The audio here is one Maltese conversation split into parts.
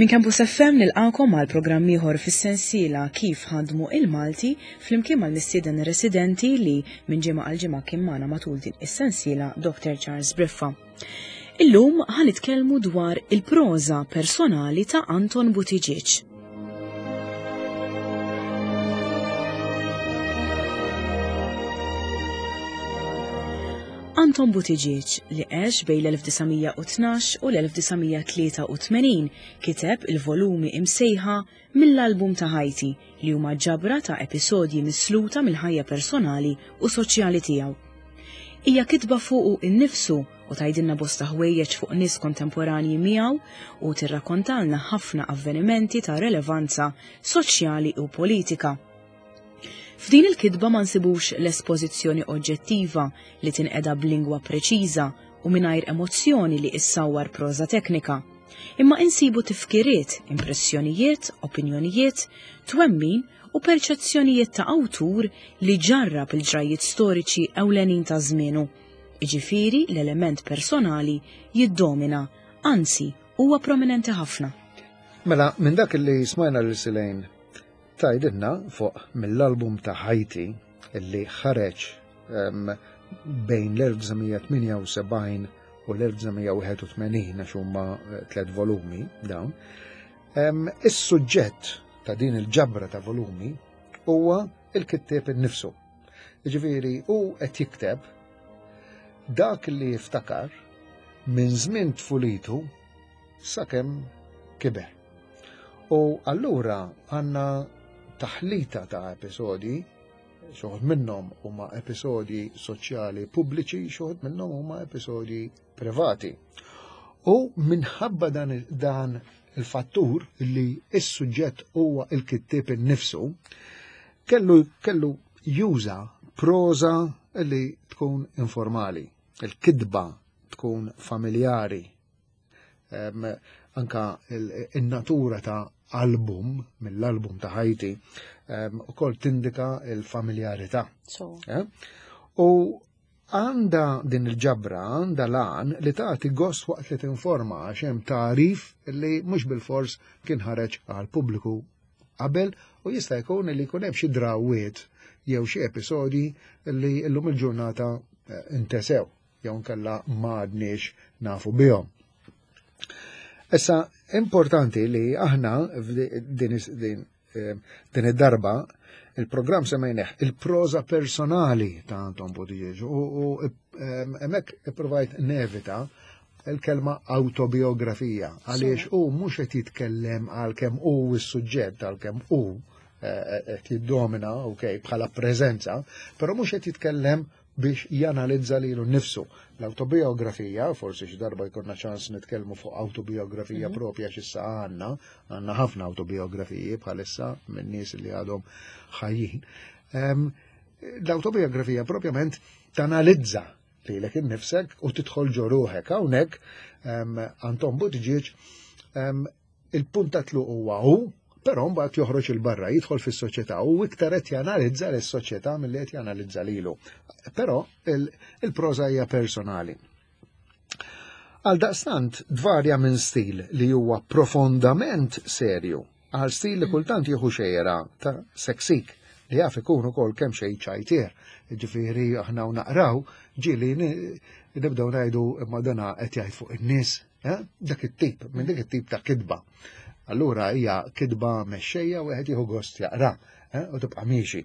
Minn Campus FM nilqakom għal programm ieħor fis-sensiela Kif ħadmu il-Malti flimkien mal-mistieden residenti li minn ġimgħa għal ġimgħa kien magħna matul din is-sensiela Dr. Charles Briffa. Illum ħa nitkellmu dwar il-proża personali ta' Anton Buttigieg. Anton Buttigieg, li għex bejn l-1912 u l-1983, kiteb il-volumi imsejħa Mill-Album ta' Ħajti, li huma ġabra ta' episodji misluta mill-ħajja personali u soċjali tiegħu. Hija kitba fuqu innifsu u tgħidilna bosta ħwejjeġ fuq nies kontemporanji miegħu u tirrakkontalna ħafna avvenimenti ta' relevanza soċjali u politika. F'din il-kitba ma nsibux l-espożizzjoni oġġettiva li tinqeda b'lingwa preċiża u mingħajr emozzjoni li issawwar proża teknika, imma insibu tifkiriet, impressjonijiet, opinjonijiet, twemmin u perċezzjonijiet ta' awtur li ġarrab il-ġrajjiet storiċi ewlenin ta' żmienu. Jiġifieri l-element personali jiddomina, anzi huwa prominenti ħafna. Mela, minn dak li smajna lil Silejn Tgħidilna fuq mill-album ta' Ħajti li ħareġ bejn l-1978 u l-1981 għax huma eh, tliet volumi dawn. Is-suġġett ta' din il-ġabra ta' volumi huwa il-kittieb innifsu. Ġifieri hu qed jikteb dak li jiftakar minn żmien tfulitu sakemm kiber. U allura għandna taħlita ta' episodji, xoħod minnhom huma episodji soċjali pubbliċi, xoħod minnhom huma episodji privati. U minħabba dan, dan il-fattur li s-suġġett huwa il-kittieb innifsu, kellu, kellu juża proza li tkun informali, il-kitba tkun familjari anka il-natura ta' album, mill-album ta' ħajti, u kol tindika il-familjarità. Eh? U għanda din il-ġabra, għanda lan li tagħti gost waqt li tinforma għax hemm tarif li mhux bil-fors kien ħareġ għal pubbliku qabel u jista' jkun li jkun hemm xi drawiet jew xi episodji li llum il-ġurnata eh, intesew. jew nkella ma għadniex nafu bihom. Issa, importanti li aħna din, din, eh, din id-darba il-programm semmejneħ il-proza personali ta' Anton Buttigieg u eh, hemmhekk ipprovajt nevita il-kelma autobiografija għaliex u mhux qed jitkellem għal kemm hu s-suġġett għal kemm hu eh, qed jiddomina ok bħala preżenza, però mhux qed jitkellem biex janalizza lilu nnifsu. L-autobiografija, forsi xi darba jkollna ċans nitkellmu fuq autobiografija mm -hmm. propja x'issa għandna, għandna ħafna autobiografiji bħalissa minn nies li għadhom ħajjin. Um, L-autobiografija propjament tanalizza lilek innifsek u tidħol ġo ruħek. Hawnhekk um, Anton Buttigieg um, Il-punt ta' tluq huwa hu, però mbagħad joħroġ il barra, jidħol fis-soċjetà u iktar qed janalizza lis-soċjetà milli qed janalizza lilu. Però il-proża hija personali. Għal daqstant dvarja minn stil li huwa profondament serju għal stil li kultant jieħu xejra ta' seksik li jaf ikun ukoll kemm xejn ċajtier. Ġifieri aħna u naqraw ġieli nibdew ngħidu imma dana qed jgħid fuq in-nies Eh? Dak it-tip, minn dik it-tip ta' kitba. Allura hija kitba mexxejja u wieħed jieħu gost jaqra eh? u tibqa' miexi.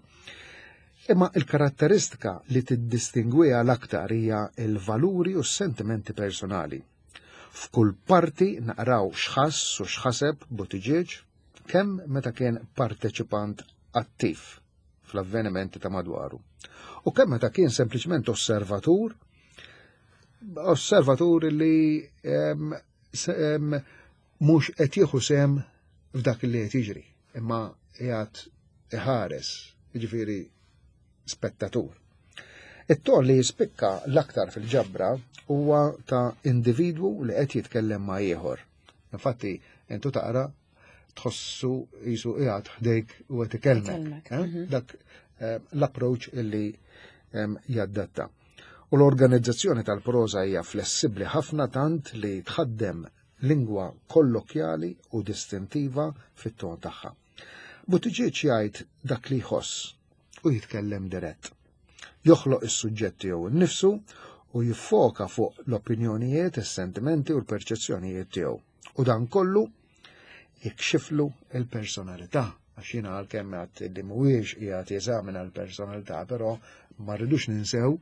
Imma il-karatteristika li tiddistingwiha l-aktar hija l-valuri u s-sentimenti personali. F'kull parti naqraw x'ħass u x'ħaseb Buttigieg kemm meta kien parteċipant attiv fl-avvenimenti ta' madwaru u kemm meta kien sempliċement osservatur osservatur li mhux qed jieħu sem f'dak li qed jiġri, imma qiegħed iħares, jiġifieri spettatur. It-ton li jispikka l-aktar fil-ġabra huwa ta' individwu li qed jitkellem ma' ieħor. Infatti, intu taqra tħossu jisu qiegħed ħdejk u qed ikellmek. Eh? Mhm. Dak eh, l-approach illi jaddatta. U l-organizzazzjoni tal-proża hija flessibbli ħafna tant li tħaddem lingwa kollokjali u distintiva fit-ton tagħha. Buttigieg jgħid dak li jħoss u jitkellem dirett. Joħloq is-suġġett tiegħu nnifsu u jiffoka fuq l-opinjonijiet, is-sentimenti u l-perċezzjonijiet tiegħu. U dan kollu jikxiflu il-personalità għax jiena għalkemm għad li mhuwiex qiegħed jeżamina l-personalità, però ma rridux ninsew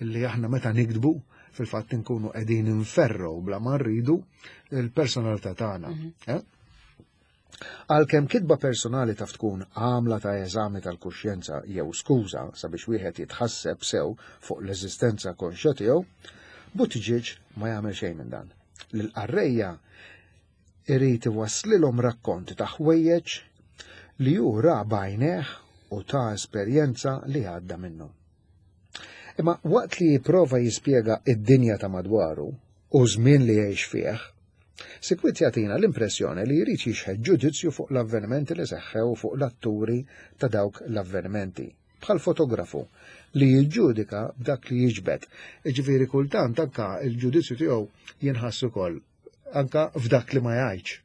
li aħna meta nikdbu fil-fatt inkunu qegħdin inferru bla ma rridu l-personalità tagħna. Eh? Għalkemm kitba personali taf tkun għamla ta' eżami tal-kuxjenza jew skuża sabiex wieħed jitħasseb sew fuq l-eżistenza konxja tiegħu, Buttigieg ma jagħmel xejn minn dan. Lill-qarrejja irid iwasslilhom rakkonti ta' ħwejjeġ li hu ra b'għajnejh u ta' esperjenza li għadda minnhom. Imma waqt li jipprova jispjega id-dinja ta' madwaru u żmien li jgħix fih, sikwit jagħtina l-impressjoni li jrid jixħet ġudizzju fuq l-avvenimenti li seħħew fuq l-atturi ta' dawk l-avvenimenti, bħal fotografu li jiġġudika b'dak li jiġbed. Jiġifieri kultant anka l-ġudizzju tiegħu jinħass ukoll anka f'dak li ma jgħidx.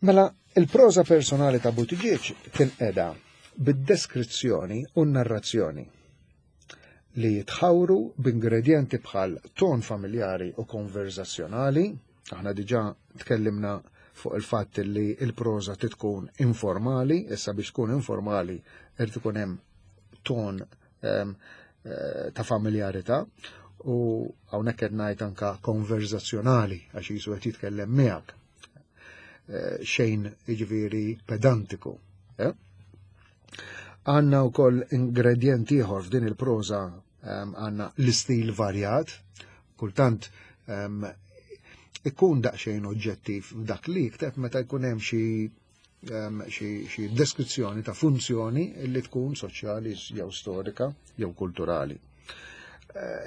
Mela, il-proża personali ta' Buttigieg tinqeda bid-deskrizzjoni u n-narrazzjoni li jitħawru b'ingredjenti bħal ton familjari u konverzazzjonali. Aħna diġà tkellimna fuq il-fatt li l-proża tkun informali, issa biex tkun informali irid ikun hemm ton ta' familjarità u hawnhekk qed ngħid anka konverzazzjonali għax jisu qed jitkellem miegħek. Xejn jiġifieri pedantiku. Eh? Għandna wkoll ingredjent ieħor f'din il-proża għandna l-istil varjat, kultant ikun daqsxejn oġġettiv f'dak li jikteb meta jkun hemm xi xi deskrizzjoni ta' funzjoni li tkun soċjali jew storika jew kulturali.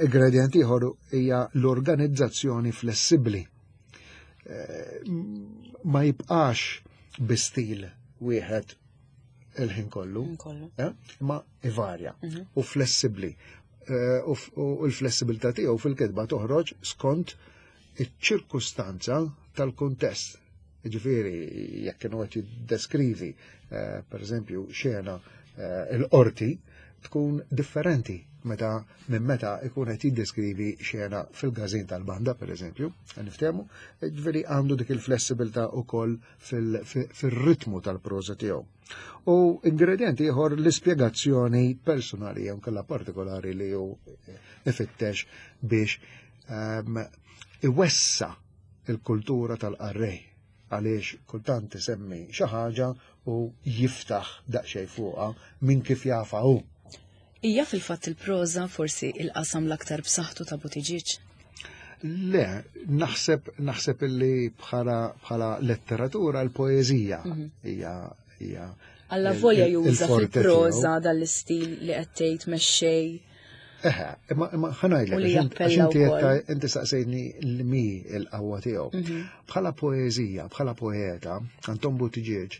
Ingredient ieħor hija l-organizzazzjoni flessibbli. Ma jibqax bi stil wieħed il-ħin kollu, imma ivarja u flessibbli. U l-flessibilità tiegħu fil-kitba toħroġ skont iċ-ċirkustanza tal-kuntest. Ġifieri, jekk kienu qed jiddeskrivi, per eżempju, xena il-qorti, tkun differenti meta minn meta ikun qed jiddeskrivi xena fil-każin tal-banda, per eżempju, niftehmu, ġifieri għandu dik il-flessibilità wkoll fil-ritmu tal-proża tiegħu. U ingredjenti ieħor l-ispjegazzjoni personali jew kellha partikolari li hu ifittex biex iwessa il-kultura tal-qarrej għaliex kultant isemmi xi ħaġa u jiftaħ daqsxejn fuqha minn kif jafa hu. Hija fil-fatt il-proża forsi il-qasam l-aktar b'saħħtu ta' Buttigieg? Le, naħseb illi bħala letteratura l-poeżija hija Alla volja juża fil-proża dal-istil li qed tgħid mexxej. Eħe, imma ħa ngħidlek, U li għax jappella wkoll. inti saqsejtni li l-qawwa tiegħu. Bħala poeżija, bħala poeta, Anton Buttigieg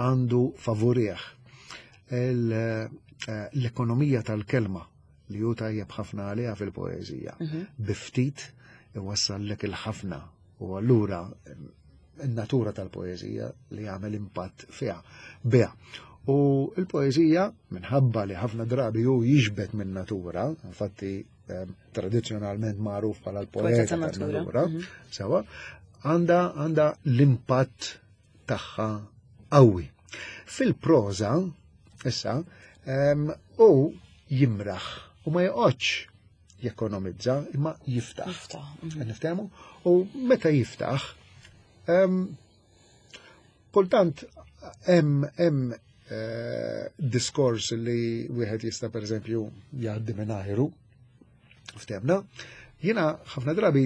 għandu favorih l-ekonomija tal-kelma li hu tajjeb ħafna għaliha fil-poeżija. Biftit iwassallek il-ħafna u allura in-natura tal-poeżija li jagħmel impatt fiha. Biha. U l-poeżija, minħabba li ħafna drabi hu jiġbed minn natura, infatti tradizzjonalment magħruf bħala l-poeta Poeta ta' natura. tan-natura, sewa, għandha l-impatt tagħha qawwi. Fil-proża, issa, hu jimraħ u ma joqgħodx jekonomizza, imma jiftaħ. Jiftaħ. Niftehmu? U meta jiftaħ, kultant hemm diskors li wieħed jista' pereżempju jgħaddi minn ajru, ftehmna. Jiena ħafna drabi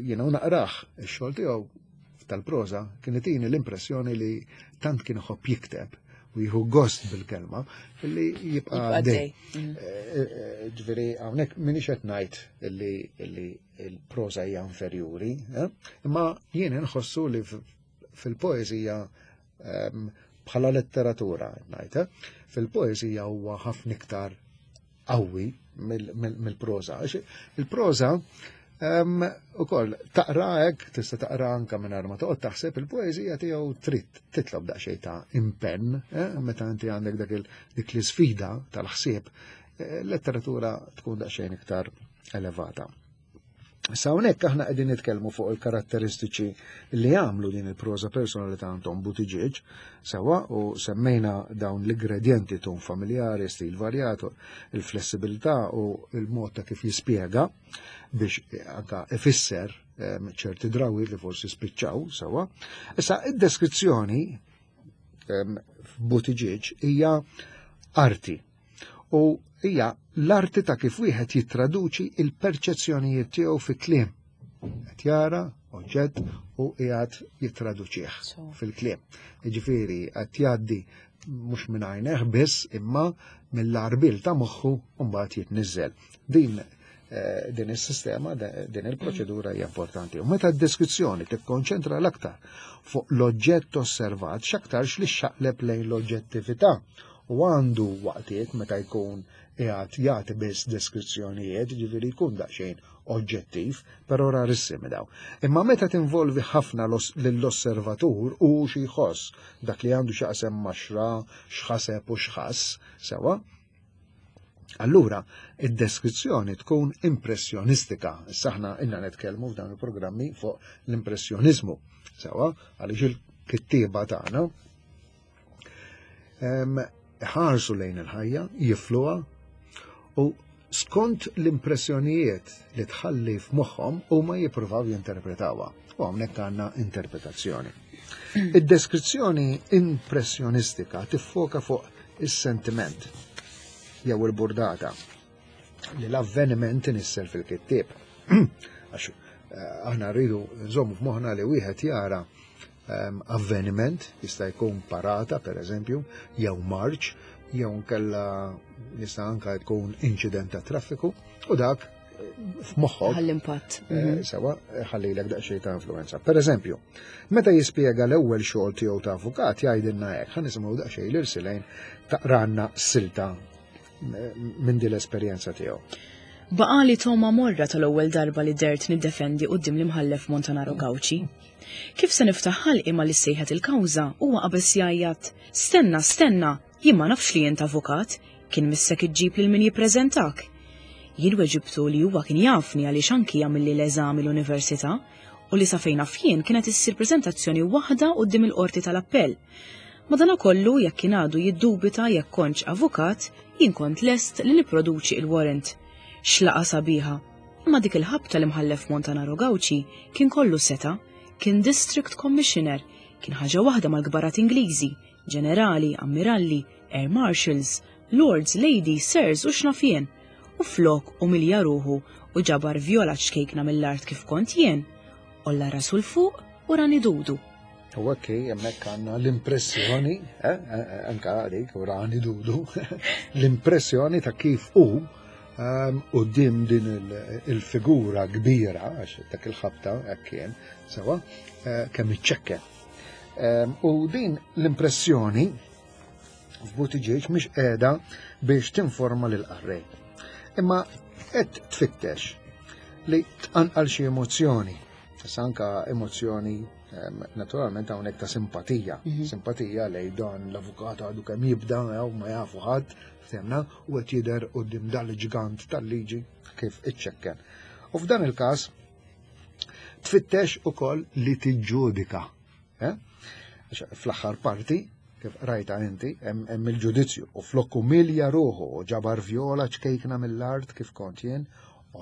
jiena u naqrah ix-xogħol tiegħu tal-proża kien itini l-impressjoni li tant kien iħobb jikteb u jieħu gost bil-kelma li jibqa' Jibqa' għaddej. għaddej. Ġifieri hawnhekk m'iniex qed ngħid li l-proża hija inferjuri, imma jien inħossu li fil-poeżija bħala letteratura ngħid, fil-poeżija huwa ħafna iktar qawwi mill-proża. Għax il-proża Ukoll taqra hekk, tista' taqra anke mingħajr ma toqgħod taħseb il-poeżija tiegħu trid titlob daqsxejn ta' impenn, eh, meta inti għandek dak dik l-isfida tal-ħsieb, eh, letteratura tkun daqsxejn iktar elevata. Issa hawnhekk aħna qegħdin nitkellmu fuq il-karatteristiċi li għamlu din il-proża personali ta' Anton Buttigieg, sewa u semmejna dawn l-ingredjenti tun familjari, stil varjat, il-flessibilità u il-mod ta' kif jispjega biex anka ifisser ehm, ċerti drawiet li forsi spiċċaw sewa. Issa id-deskrizzjoni ehm, f'Buttigieg hija arti u hija l-arti ta' kif wieħed jittraduċi il-perċezzjonijiet tiegħu fi kliem. Qed jara oġġett u qiegħed jittraduċih fil-kliem. Jiġifieri qed jgħaddi mhux minn għajneh biss imma mill-arbil ta' moħħu u mbagħad jitniżżel. Din eh, din is-sistema, din il-proċedura hija importanti. U meta d-deskrizzjoni tikkonċentra l-aktar fuq l-oġġett osservat, x'aktarx li xaqleb lejn l-oġġettività u għandu waqtiet meta jkun qiegħed jagħti biss deskrizzjonijiet, ġifieri jkun daqsxejn oġġettiv, però rarissimi daw. Imma meta tinvolvi ħafna lill-osservatur u xi jħoss dak li għandu x'jaqsem ma' xra, x'ħaseb u x'ħass, sewa, Allura, id-deskrizzjoni tkun impressjonistika. Issa aħna inna nitkellmu f'dan il-programmi fuq l-impressjonizmu. Sewa, għaliex il-kittieba tagħna ħarsu lejn il-ħajja, jifluha u skont l-impressjonijiet li tħalli f'moħħhom huma jippruvaw jinterpretawha. U hawnhekk għandna interpretazzjoni. Id-deskrizzjoni impressjonistika tiffoka fuq is-sentiment jew il-burdata li l-avveniment inissel fil-kittieb. Għax eh, aħna rridu nżommu f'moħħna li wieħed jara ehm, avveniment, jista' jkun parata per eżempju, jew marċ, jew nkella jista' anka jkun inċident ta' traffiku, u dak eh, f'moħħok. Ħall-impatt. Eh, mhm. Sewa, eh, ħallilek daqsxejn ta' influenza. Per eżempju, meta jispjega l-ewwel xogħol tiegħu ta' avukat jgħidilna hekk, ħa nisimgħu daqsxejn l-irsilejn taqranna silta minn din l-esperjenza tiegħu. Baqali toma morra tal-ewwel darba li dert niddefendi quddiem l-imħallef Montanaro Gauci. Kif se niftaħ ħalqi malli ssejħet il-kawża, huwa qabeż jgħajjat, Stenna, stenna! Jien ma nafx li int avukat, kien missek iġġib lil min jippreżentak. Jien weġibtu li huwa kien jafni għaliex anki għamilli l-eżami l-università u li sa fejn naf jien kienet issir preżentazzjoni waħda quddiem il-qorti tal-appell. Madanakollu jekk kien għadu jiddubita jekk kontx avukat, jien kont lest li nipproduċi il-warrant. X'laqgħa sabiħa! Imma dik il-ħabta l-Imħallef Montanaro Gauci kien kollu setgħa, kien District Commissioner, kien ħaġa waħda mal-kbarat Ingliżi, ġenerali, ammiralli, air marshals, lords, ladies, sirs u x'naf jien. U flok umilja ruħu u ġabar vjola ċkejkna mill-art kif kont jien, għolla rasu 'l fuq u rani dudu. U hekk hemmhekk għandna l-impressjoni, eh, eh, eh, anka għalik, u rani dudu, l-impressjoni ta' kif hu ehm, quddiem din il-figura kbira, għax dak il-ħabta hekk kien, sewa, kemm iċċekken. Ehm, u din l-impressjoni f'Buttigieg mhix qiegħda biex tinforma lil qarrej. Imma qed tfittex li tqanqal xi emozzjoni, issa anka emozzjoni ehm, naturalment hawnhekk ta' simpatija, mhm. simpatija lej dan l-avukat għadu kemm jibda jew ma jafu ħadd, ftemna, u qed jidher quddiem dal-ġgant tal-liġi kif iċċekken. U f'dan il-każ tfittex ukoll li tiġġudika. Eh? Fl-aħħar parti, kif rajta inti, hemm il-ġudizzju u flok umilja ruħu u ġabar vjola ċkejkna mill-art kif kont jien,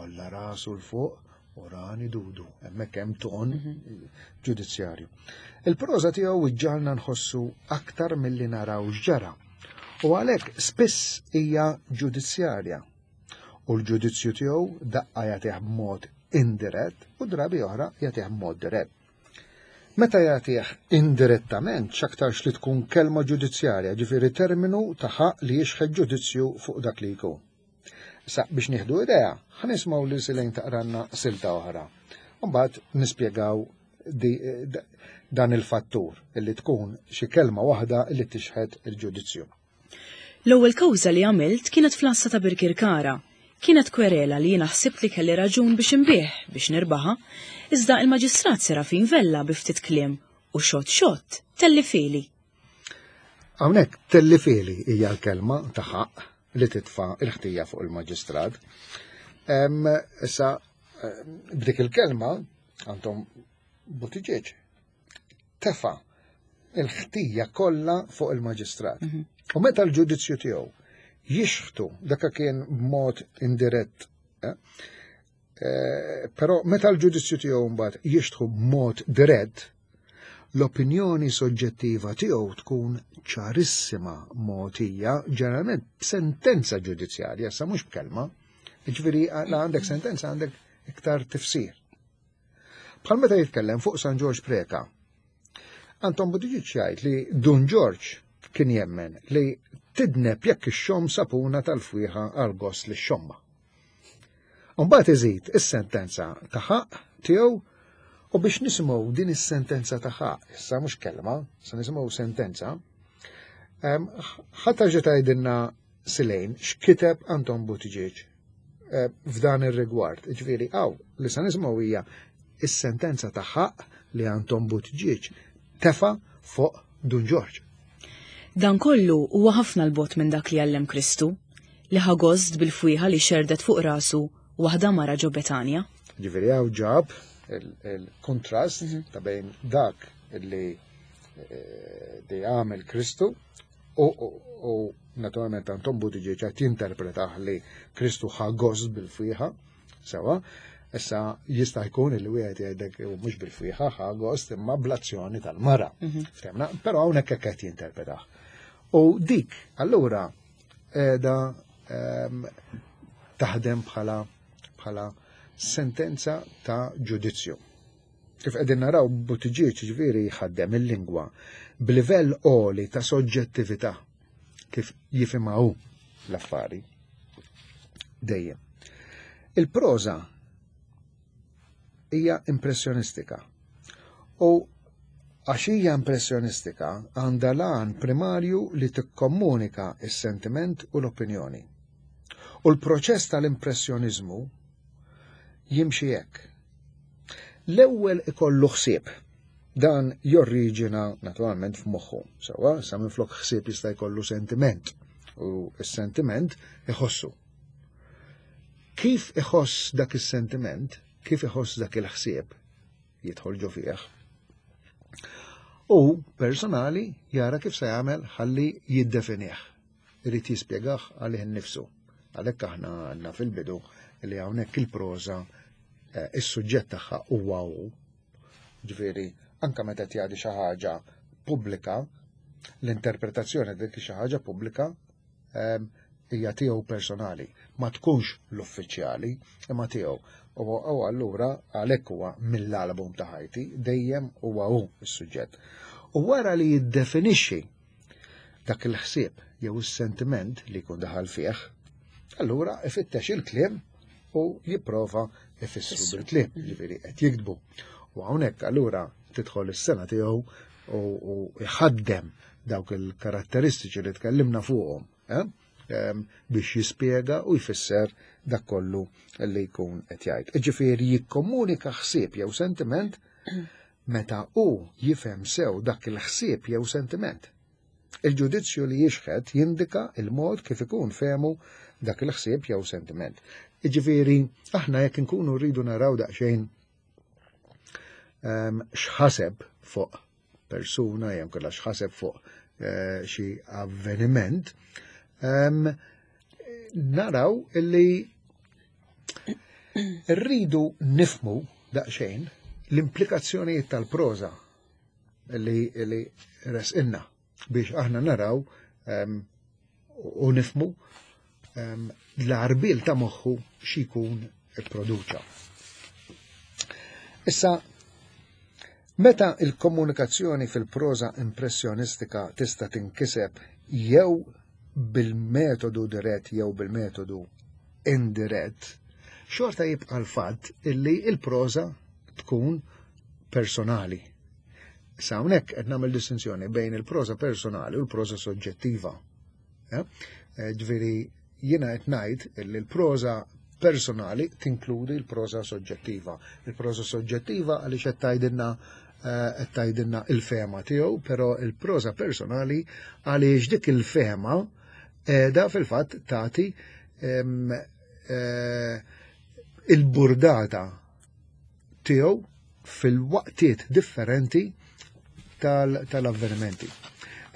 olla rasu l fuq u rani dudu, hemmhekk hemm ton mhm. ġudizzjarju. Il-proża tiegħu iġġalna nħossu aktar milli naraw x'ġara. U għalhekk spiss hija ġudizzjarja. U l-ġudizzju tiegħu daqqa jagħtih b'mod indirett u drabi oħra jagħtih b'mod dirett. Meta jagħtih indirettament x'aktarx li tkun kelma ġudizzjarja, ġifieri terminu ta' ħaqq li jixħet ġudizzju fuq dak li jkun. Issa biex nieħdu idea, ħa nismgħu lil Silejn taqranna silta oħra. Mbagħad nispjegaw dan il-fattur illi tkun xi kelma waħda li tixħet il-ġudizzju. L-ewwel kawża li għamilt kienet fl-għassa ta' Birkirkara. Kienet kwerela li jiena ħsibt li kelli raġun biex inbigħ biex nirbaħha, iżda il-Maġistrat Serafin Vella bi ftit kliem u xott xott tellifieli. Hawnhekk tellifieli hija l-kelma ta' ħaqq li titfa' l-ħtija fuq il-Maġistrat. Issa b'dik il-kelma Anton Buttigieg tefa' il-ħtija kollha fuq il-maġistrat. Mhm. U meta l-ġudizzju tiegħu jixħtu dak kien b'mod indirett, eh? Eh, però meta l-ġudizzju tiegħu mbagħad jixtħu b'mod dirett, l-opinjoni soġġettiva tiegħu tkun ċarissima mogħtija ġeneralment b'sentenza ġudizzjarja, sa mhux b'kelma. Ġifieri la għandek sentenza għandek iktar tifsir. Bħal meta jitkellem fuq San Ġorġ Preca. Anton Buttigieg jgħid li Dun Ġorġ kien jemmen li tidneb jekk ixxomm sapuna tal-fwieħa għal gost li xomma. Mbagħad iżid is-sentenza ta' ħaqq tiegħu u biex nisimgħu din is-sentenza ta' ħaqq, issa mhux kelma, se nisimgħu sentenza, ħadd ġa tgħidilna Silejn x'kiteb Anton Buttigieg eh, f'dan ir-rigward. Ġifieri hawn li se nisimgħu hija is-sentenza ta' ħaqq li Anton Buttigieg tefa' fuq Dun Ġorġ. Dan kollu huwa ħafna 'l bogħod minn dak li għallem Kristu, li ħa gost bil-fwieħa li xerrdet fuq rasu waħda mara ġo Betanja. Ġifieri hawn ġab il-kontrast mhm. ta' bejn dak li eh, li għamel Kristu u naturalment Anton Buttigieg qed jinterpretah li Kristu ħa gost bil-fwieħa, sewa, issa jista' jkun li wieħed jgħidlek u mhux bil-fwieħa ħa gost imma bl-azzjoni tal-mara. Mhm. Ftemna, però hawnhekk hekk qed jinterpretah. U dik allura qiegħda ehm, taħdem bħala bħala sentenza ta' ġudizzju. Kif qegħdin naraw Buttigieg ġifieri jħaddem il-lingwa b'livell għoli ta' soġġettività kif jifhimha hu l-affari. Dejjem. Il-proża hija impressjonistika. U għax hija impressjonistika għandha l-għan primarju li tikkomunika s-sentiment u l-opinjoni. U l-proċess tal-impressjoniżmu jimxi hekk. L-ewwel ikollu ħsieb. Dan jorriġina naturalment f'moħħu. Sewwa, sa minflok ħsieb jista' jkollu sentiment u s-sentiment iħossu. Kif iħoss dak is-sentiment, kif iħoss dak il-ħsieb, jidħol ġo fih. U personali jara kif se jagħmel ħalli jiddefinih. Irid jispjegah għalih innifsu. Għalhekk aħna għandna fil-bidu li hawnhekk il-proża eh, is-suġġett tagħha huwa hu. Ġifieri, anke meta qed jgħaddi xi ħaġa pubblika, l-interpretazzjoni dik xi ħaġa pubblika ehm, hija tiegħu personali, ma tkunx l-uffiċjali, imma tiegħu. U allura għalhekk huwa mill-album ta' ħajti dejjem huwa hu s-suġġett. U wara li jiddefinixxi dak il-ħsieb jew is-sentiment li jkun daħal fih, allura ifittex il-kliem u jipprova ifissru bil-kliem, mm. ġifieri qed jiktbu. U hawnhekk allura tidħol is-sena tiegħu u jħaddem dawk il-karatteristiċi li tkellimna fuqhom eh, biex jispjega u jfisser dak kollu li jkun qed jgħid. Ġifieri jikkomunika ħsieb jew sentiment meta hu jifhem sew dak il-ħsieb jew sentiment. Il-ġudizzju li jixħet jindika il-mod kif ikun fehmu dak il-ħsieb jew sentiment. Jiġifieri, aħna jekk inkunu rridu naraw daqsxejn ehm, x'ħaseb fuq persuna jew kellha x'ħaseb fuq eh, xi avveniment, ehm, naraw illi rridu nifmu daqsxejn l-implikazzjonijiet tal-proża li, li resqinna biex aħna naraw um, u nifmu um, l-arbil ta' moħħu xikun ipproduċa. Issa, meta il-komunikazzjoni fil-proża impressjonistika tista' tinkiseb jew bil-metodu dirett jew bil-metodu indirett, xorta jibqa' l-fatt illi il-proża tkun personali. Issa hawnhekk qed nagħmel distinzjoni bejn il-proża personali u l-proża soġġettiva. Eh? Eh, ġifieri jiena qed ngħid li l-proża personali tinkludi l-proża soġġettiva. Il-proża soġġettiva għaliex qed tgħidilna eh, qed tgħidilna il-fehma tiegħu, però il-proża personali għaliex dik il-fehma qiegħda fil-fatt tagħti eh, il-burdata tiegħu fil-waqtiet differenti tal-avvenimenti.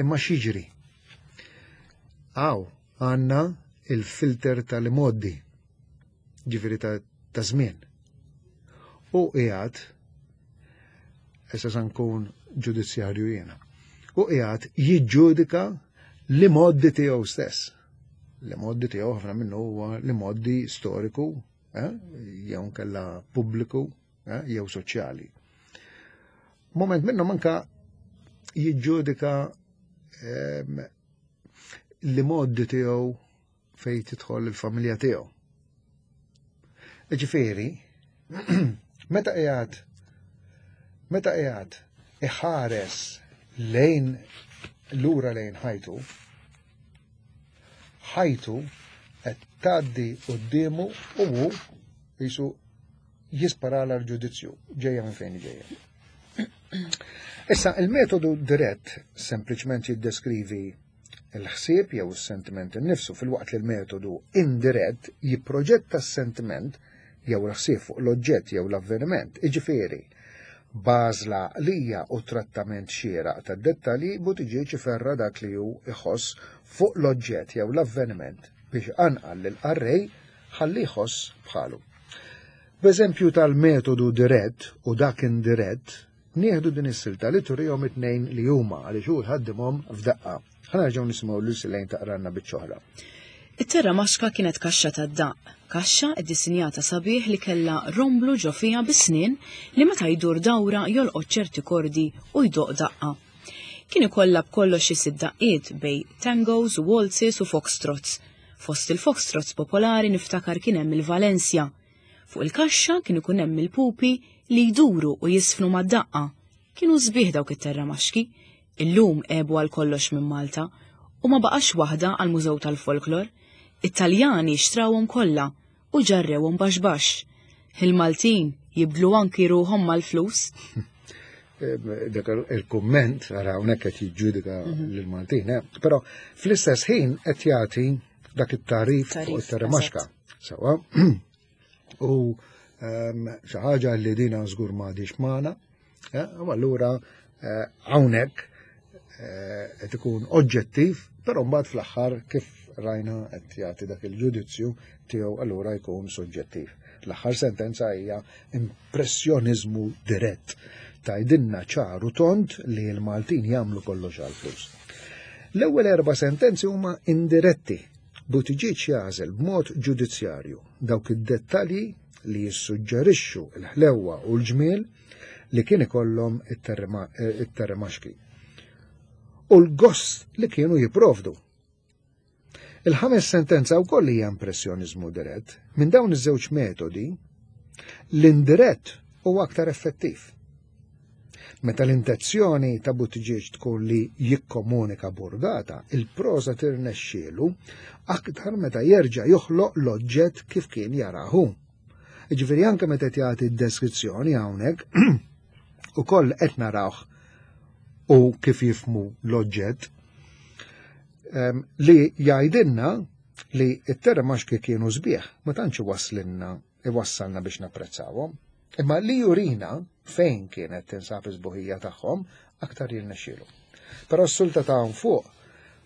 Imma x'jiġri? Għaw, għandna il-filter tal-imoddi, ġifieri ta' żmien. U qiegħed issa sa nkun ġudizzjarju jiena. U qiegħed jiġġudika l-imoddi tiegħu stess. L-imoddi tiegħu ħafna minnu huwa l-imoddi storiku, eh, jew nkella pubbliku, eh, jew soċjali. Moment minnhom anka jiġġudika ehm, li moddi tiegħu fejn tidħol il-familja tiegħu. Ġifieri, meta qiegħed meta qiegħed iħares lejn lura lejn ħajtu, ħajtu qed tgħaddi quddiemu u hu jisu jisparala l-ġudizzju ġejja minn fejn ġejja. Issa, il-metodu dirett sempliċement jiddeskrivi il-ħsieb jew is-sentiment innifsu filwaqt li l-metodu indirett jipproġetta s-sentiment jew il-ħsieb fuq l-oġġett jew l-avveniment, iġifieri, b'għażla għaqlija u trattament xieraq tad-dettalji Buttigieg iferra' dak li hu jħoss fuq l-oġġett jew l-avveniment biex iqanqal lill-qarrej ħalli jħoss bħalu. B'eżempju tal-metodu dirett u dak indirett, nieħdu din is-silta li turihom it-tnejn li huma għaliex hu jħaddimhom f'daqqa. Ħa nerġgħu nisimgħu lil Silejn taqralna biċċa oħra. It-terra maxka kienet kaxxa tad-daqq, kaxxa ddisinjata sabiħ li kellha romblu ġo fiha bi snien li meta jdur dawra jolqot ċerti kordi u jdoqq daqqa. Kien ikollha b'kollox xi sitt daqqiet bejn tangos u waltzes u foxtrots. Fost il-foxtrots popolari niftakar kien hemm il-Valencia. Fuq il-kaxxa kien ikun hemm il-pupi li jduru u jiżfnu mad-daqqa. Kienu sbieħ dawk it-terramaxki. Illum għebu għal kollox minn Malta u ma baqax waħda għall-Mużew tal-Folklor. It-Taljani xtrawhom kollha u ġarrewhom baxx baxx. Il-Maltin jibdlu anki ruħhom mal-flus. Dak il-kumment, ara hawnhekk qed jiġġudika mhm. lill-Maltin, eh? però fl-istess ħin qed jagħti dak it-tarif fuq it-terremaxka. Sawa. U ehm, xi ħaġa li dina żgur m'għadix magħna, eh, u allura eh, hawnhekk eh, qed ikun oġġettiv, però mbagħad fl-aħħar kif rajna qed jagħti dak il-ġudizzju tiegħu allura jkun soġġettiv. L-aħħar sentenza hija impressjoniżmu dirett. Tgħidilna ċar u tond li l-Maltin jagħmlu kollox għall-flus. L-ewwel erba' sentenzi huma indiretti. Buttigieg jagħżel b'mod ġudizzjarju dawk id-dettalji li jissuġġerixxu l-ħlewwa u l-ġmiel li kien ikollhom it-terremaxki u l-gost li kienu jipprovdu. Il-ħames sentenza wkoll hija impressjoniżmu dirett. Minn dawn iż-żewġ metodi, l-indirett huwa aktar effettiv. Meta l-intenzjoni ta' Buttigieg tkun li jikkomunika burdata, il-proża tirnexxielu aktar meta jerġa' joħloq l-oġġett kif kien jarahu. Jiġifieri anke meta qed jagħti d-deskrizzjoni hawnhekk ukoll qed narawh u kif jifmu l-oġġett li jgħidilna li t-terramaxki kienu sbieħ, ma tantx iwasslilna iwassalna biex napprezzawhom. Imma li jurina fejn kienet tinsab is-sbuħija tagħhom aktar jirnexxielu. Però s-sulta ta' hawn fuq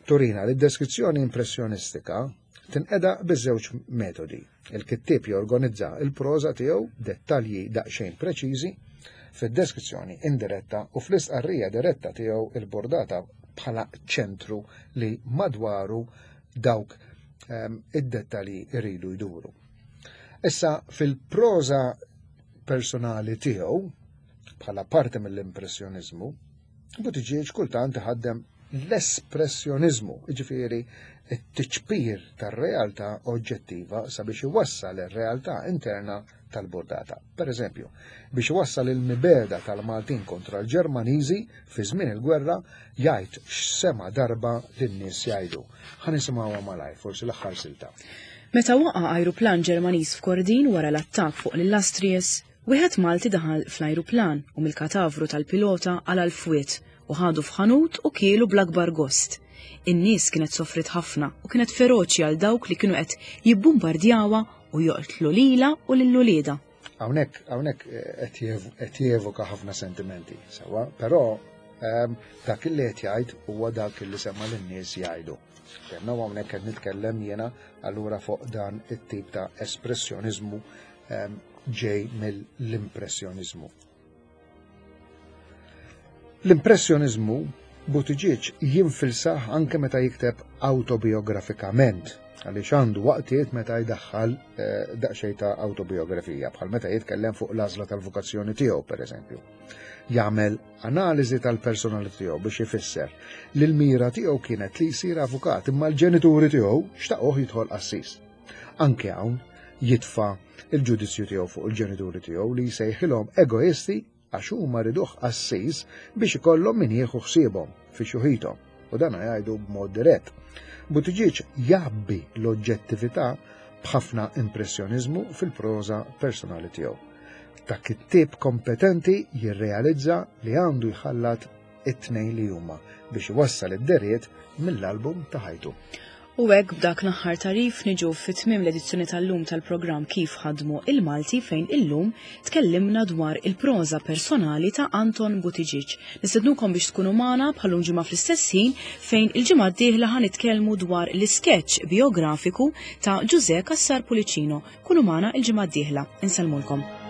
turina li d-deskrizzjoni impressjonistika tinqeda biż-żewġ metodi. Il-kittieb jorganizza il-proża tiegħu dettalji daqsxejn preċiżi fid-deskrizzjoni indiretta u fl-istqarrija diretta tiegħu il-bordata bħala ċentru li madwaru dawk ehm, id-dettalji jridu jduru. Issa fil-proża personali tiegħu bħala parti mill-impressjoniżmu, Buttigieg kultant iħaddem l-espressjoniżmu, jiġifieri t-tiċpir tar-realtà oġġettiva sabiex iwassal ir-realtà interna tal-burdata. Per eżempju, biex iwassal il-mibegħda tal-Maltin kontra l-Ġermaniżi fi żmien il-gwerra jgħid x'sema' darba lin-nies jgħidu. Ħa nisimgħuha malajr, forsi l-aħħar silta. Meta waqa' ajruplan Ġermaniż f'Kordin wara l-attakk fuq l-Illustrious, wieħed Malti daħal fl-ajruplan u mill-katavru tal-pilota qala' l-fwied u ħadu f'ħanut u kielu bl-akbar gost. In-nies kienet sofriet ħafna u kienet feroċi għal dawk li kienu qed jibbumbardjawha u joqtlu lilha u lil uliedha. Hawnhekk hawnhekk qed jevoka ħafna sentimenti, sewwa, però ehm, dak li qed jgħid huwa dak li sema lin-nies jgħidu. Tenna hawnhekk qed nitkellem jiena allura fuq dan it-tip ta' espressjoniżmu ehm, ġej mill-impressjoniżmu. L-impressjoniżmu Buttigieg jinfilsah anke meta jikteb awtobijografikament, għaliex għandu waqtiet meta jdaħħal eh, daqsxejn ta' awtobiografija, bħal meta jitkellem fuq l-għażla tal-vokazzjoni tiegħu pereżempju. Jagħmel analiżi tal-personalità tiegħu biex ifisser li l-mira tiegħu kienet li jsir avukat imma l-ġenituri tiegħu xtaquh jidħol qassis. Anke hawn jitfa' il-ġudizzju tiegħu fuq il-ġenituri tiegħu li jsejħilhom egoisti għax huma riduh qassis biex ikollhom min jieħu ħsiebhom fi xuħithom, u dan jgħidu b'mod dirett. Buttigieg jgħabbi l-oġġettività b'ħafna impressjoniżmu fil-proża personali tiegħu. Ta' kittieb kompetenti jirrealizza li għandu jħallat it-tnejn li huma biex iwassal id-deriet mill-album ta' ħajtu. U hekk b'dak l-aħħar tagħrif niġu fi tmiem l-edizzjoni tal-lum tal-programm Kif Ħadmu il-Malti fejn illum tkellimna dwar il-proża personali ta' Anton Buttigieg. Nistednukom biex tkunu magħna bħal-lum ġimgħa fl-istess ħin fejn il-ġimgħa d-dieħla ħa nitkellmu dwar l-iskeċċ biografiku ta' Ġużè Cassar Pullicino. Kunu magħna il-ġimgħa d-dieħla. Insellmulkom.